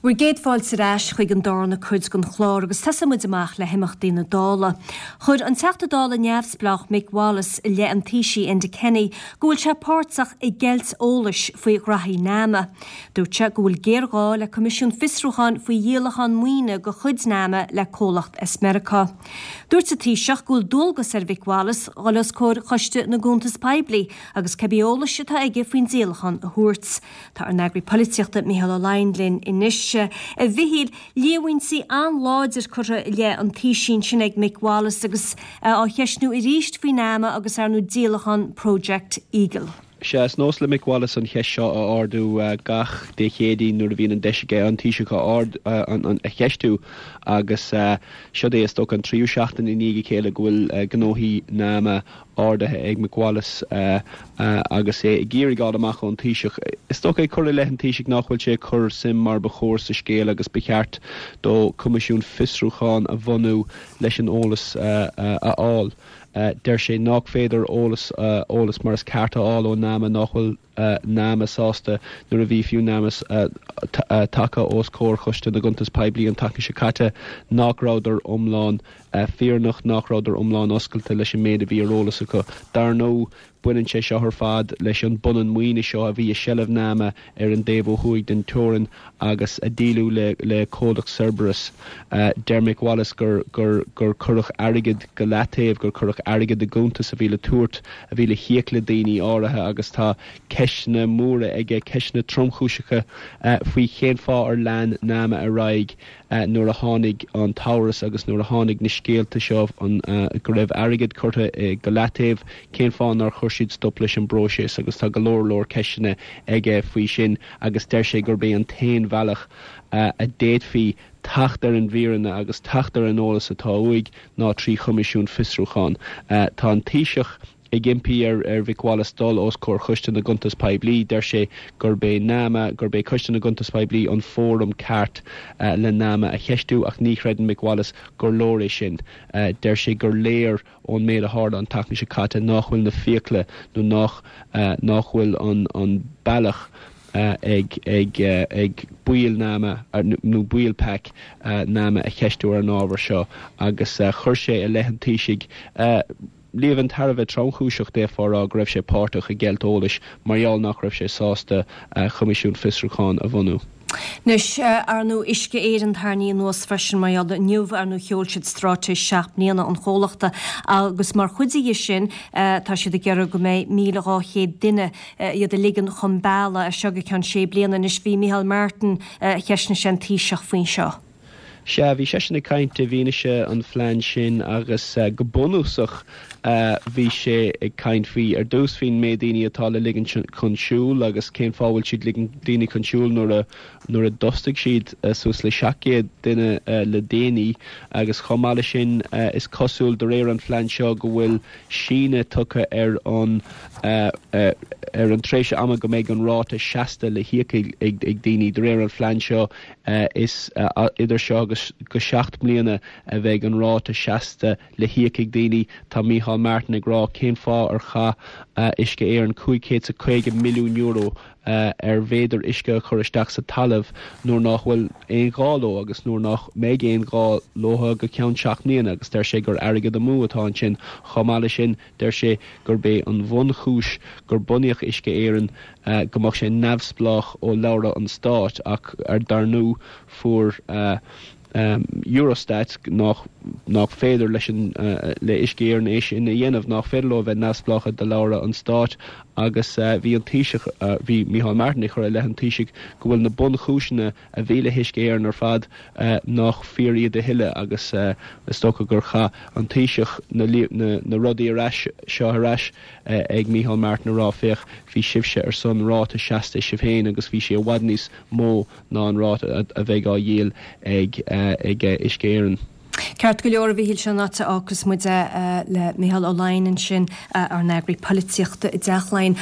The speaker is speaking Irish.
Bhur gcéad fáilte ar ais chuig an darna cuid den chlár agus tosóidh muid amach le himeachtaí na Dála. Chuir an Teachta Dála neamhspleách Mick Wallace i leith an Taoisigh Enda Kenny go bhfuil sé páirteach i gceilt eolais faoi ghraithí NAMA. Dúirt sé go bhfuil géarghá le coimisiún fiosrúcháin faoi dhíolachán maoine de chuid NAMA le comhlacht as Meiriceá. Dúirt an Taoiseach go bhfuil dualgas ar Mhick Wallace dhul os comhair Choiste na gCuntas Poiblí agus cibé eolais atá aige faoin díolachán a thabhairt. Tá ár n-eagraí polaitíochta Mícheál Ó Laighin linn anois. A Mhichíl, líomhaintí an-láidir curtha i leith an Taoisigh ansin ag Mick Wallace agus é á cheistniú arís faoi NAMA agus ar ndóigh díolachán Project Eagle. Sea, is nós le Mick Wallace an cheist seo a ardú gach Dé Céadaoin nuair a bhíonn an deis aige an Taoiseach a cheistiú agus seod é is dócha an tríú seachtain i ndiaidh a chéile go bhfuil gnóthaí NAMA ardaithe ag Mick Wallace agus é ag iarraidh fháil amach ón Taoiseach. Is dócha ag cur i leith an Taoisigh nach bhfuil sé ag cur suim mar ba chóir sa scéal agus ba cheart dó coimisiún fiosrúcháin a bhunú leis an eolas a fháil. Deir sé nach féidir eolas eolas mar is ceart a fháil ó NAMA, nach bhfuil NAMA sásta nuair a bhí fiú NAMA tagtha os comhair Choiste na gCuntas Poiblí an tseachtain seo caite nach rabhadar iomlán fírinneach, nach rabhadar iomlán oscailte leis an méid a bhí ar eolas acu. Dar ndóigh, baineann sé seo ar fad leis an bpunann maoine seo a bhí i seilbh NAMA ar an dtaobh ó thuaidh den teorainn agus a díoladh le comhlacht Cerberus. Deir Mick Wallace gur gur gur cuireadh airgead go leataobh, gur cuireadh airgead i gcuntas a bhí le tabhairt, a bhí le híoc le daoine áirithe agus tá ceisteanna móra aige, ceisteanna tromchúiseacha faoi cén fáth ar lean NAMA ar aghaidh nuair a tháinig an t-amhras agus nuair a tháinig na scéalta seo go raibh airgead curtha go leataobh, cén fáth nár chuir siad stop leis an bpróiseas agus tá go leor leor ceisteanna aige faoi sin agus deir sé gurb é an t-aon bhealach a d'fhéadfaí teacht ar an bhfírinne agus teacht ar an eolas atá uaidh ná trí choimisiún fiosrúcháin. Tá an Taoiseach ag impí ar Mhick Wallace dul os comhair Choiste na gCuntas Poiblí. Deir sé gurb é NAMA, gurb é Coiste na gCuntas Poiblí an fóram ceart le NAMA a cheistiú ach ní chreideann Mick Wallace gur leor é sin. Deir sé gur léir ón méid a tharla an tseachtain seo caite nach bhfuil na fiacla nó nach nach bhfuil an an bealach ag ag ag baill NAMA nó baill PAC NAMA a cheistiú ar an ábhar seo agus chuir sé i leith an Taoisigh líomhain thar a bheith tromchúiseach, d'fhéadfá a rá go raibh sé páirteach i gceilt eolais mar gheall nach raibh sé sásta coimisiún fiosrúcháin a bhunú. Anois, ar ndóigh, Uisce Éireann tarraingthe anuas freisin mar gheall inniu, ar ndóigh, sheol siad straitéis 7 mbliana an chomhlachta agus mar chuid dhe sin tá siad ag iarraidh go mbeidh 1,200 duine iad a ligean chun bealaigh as seo go ceann sé bliana. Anois bhí Micheál Martin, cheistnigh sé an Taoiseach faoin seo. Sea, bhí seisean ag caint i bhfianaise an phlean sin agus go bunúsach bhí sé ag caint faoi, ar dtús, faoin méid daoine atá le ligean chun siúil agus cén fáth a bhfuil siad ligean daoine chun siúil nuair a nuair a d'fhostaigh siad suas le 700 duine le déanaí agus chomh maith leis sin is cosúil de réir an phlean seo go bhfuil síneadh tugtha ar an ar an tréimhse ama go mbeidh an ráta seasta le híoc ag daoine. De réir an phlean seo Is idir seo agus go 7 mbliana a bheidh an ráta seasta le híoc ag daoine. Tá Micheál Martin ag rá cén fáth ar chaith Uisce Éireann €550 milliún ar mhéadair uisce a chur isteach sa talamh nuair nach bhfuil aon ghá leo agus nuair nach mbeidh aon ghá leo go ceann 7 mbliana agus deir sé gur airgead amú atá ansin. Chomh maith leis sin, Deir sé gurb é an bhunchúis gur bunaíodh Uisce Éireann go mbeadh sé neamhspleách ó shlabhra an stáit ach dar ndóigh fuair Eurostat nach nach féidir leis an le Uisce Éireann é sin a dhéanamh, nach féidir leo a bheith neamhspleách de shlabhra an stáit agus bhí an Taoiseach, bhí Micheál Martin ag cur i leith an Taoisigh go bhfuil na bunchúiseanna a bhí le hUisce Éireann ar fad nach fíor iad a thuilleadh agus is dócha gur chaith an Taoiseach na na rudaí ar ais seo ar ais ag Micheál Martin a rá féach bhí sibhse ar son ráta seasta sibh féin agus bhí sé i bhfad níos mó ná an ráta a bheidh á dhíol ag ag Uisce Éireann. Ceart go leor, a Mhichíl, sin an áit a fhágfas muid é le Micheál Ó Laighin ansin, ár n-eagraí polaitíochta i dTeach Laighean.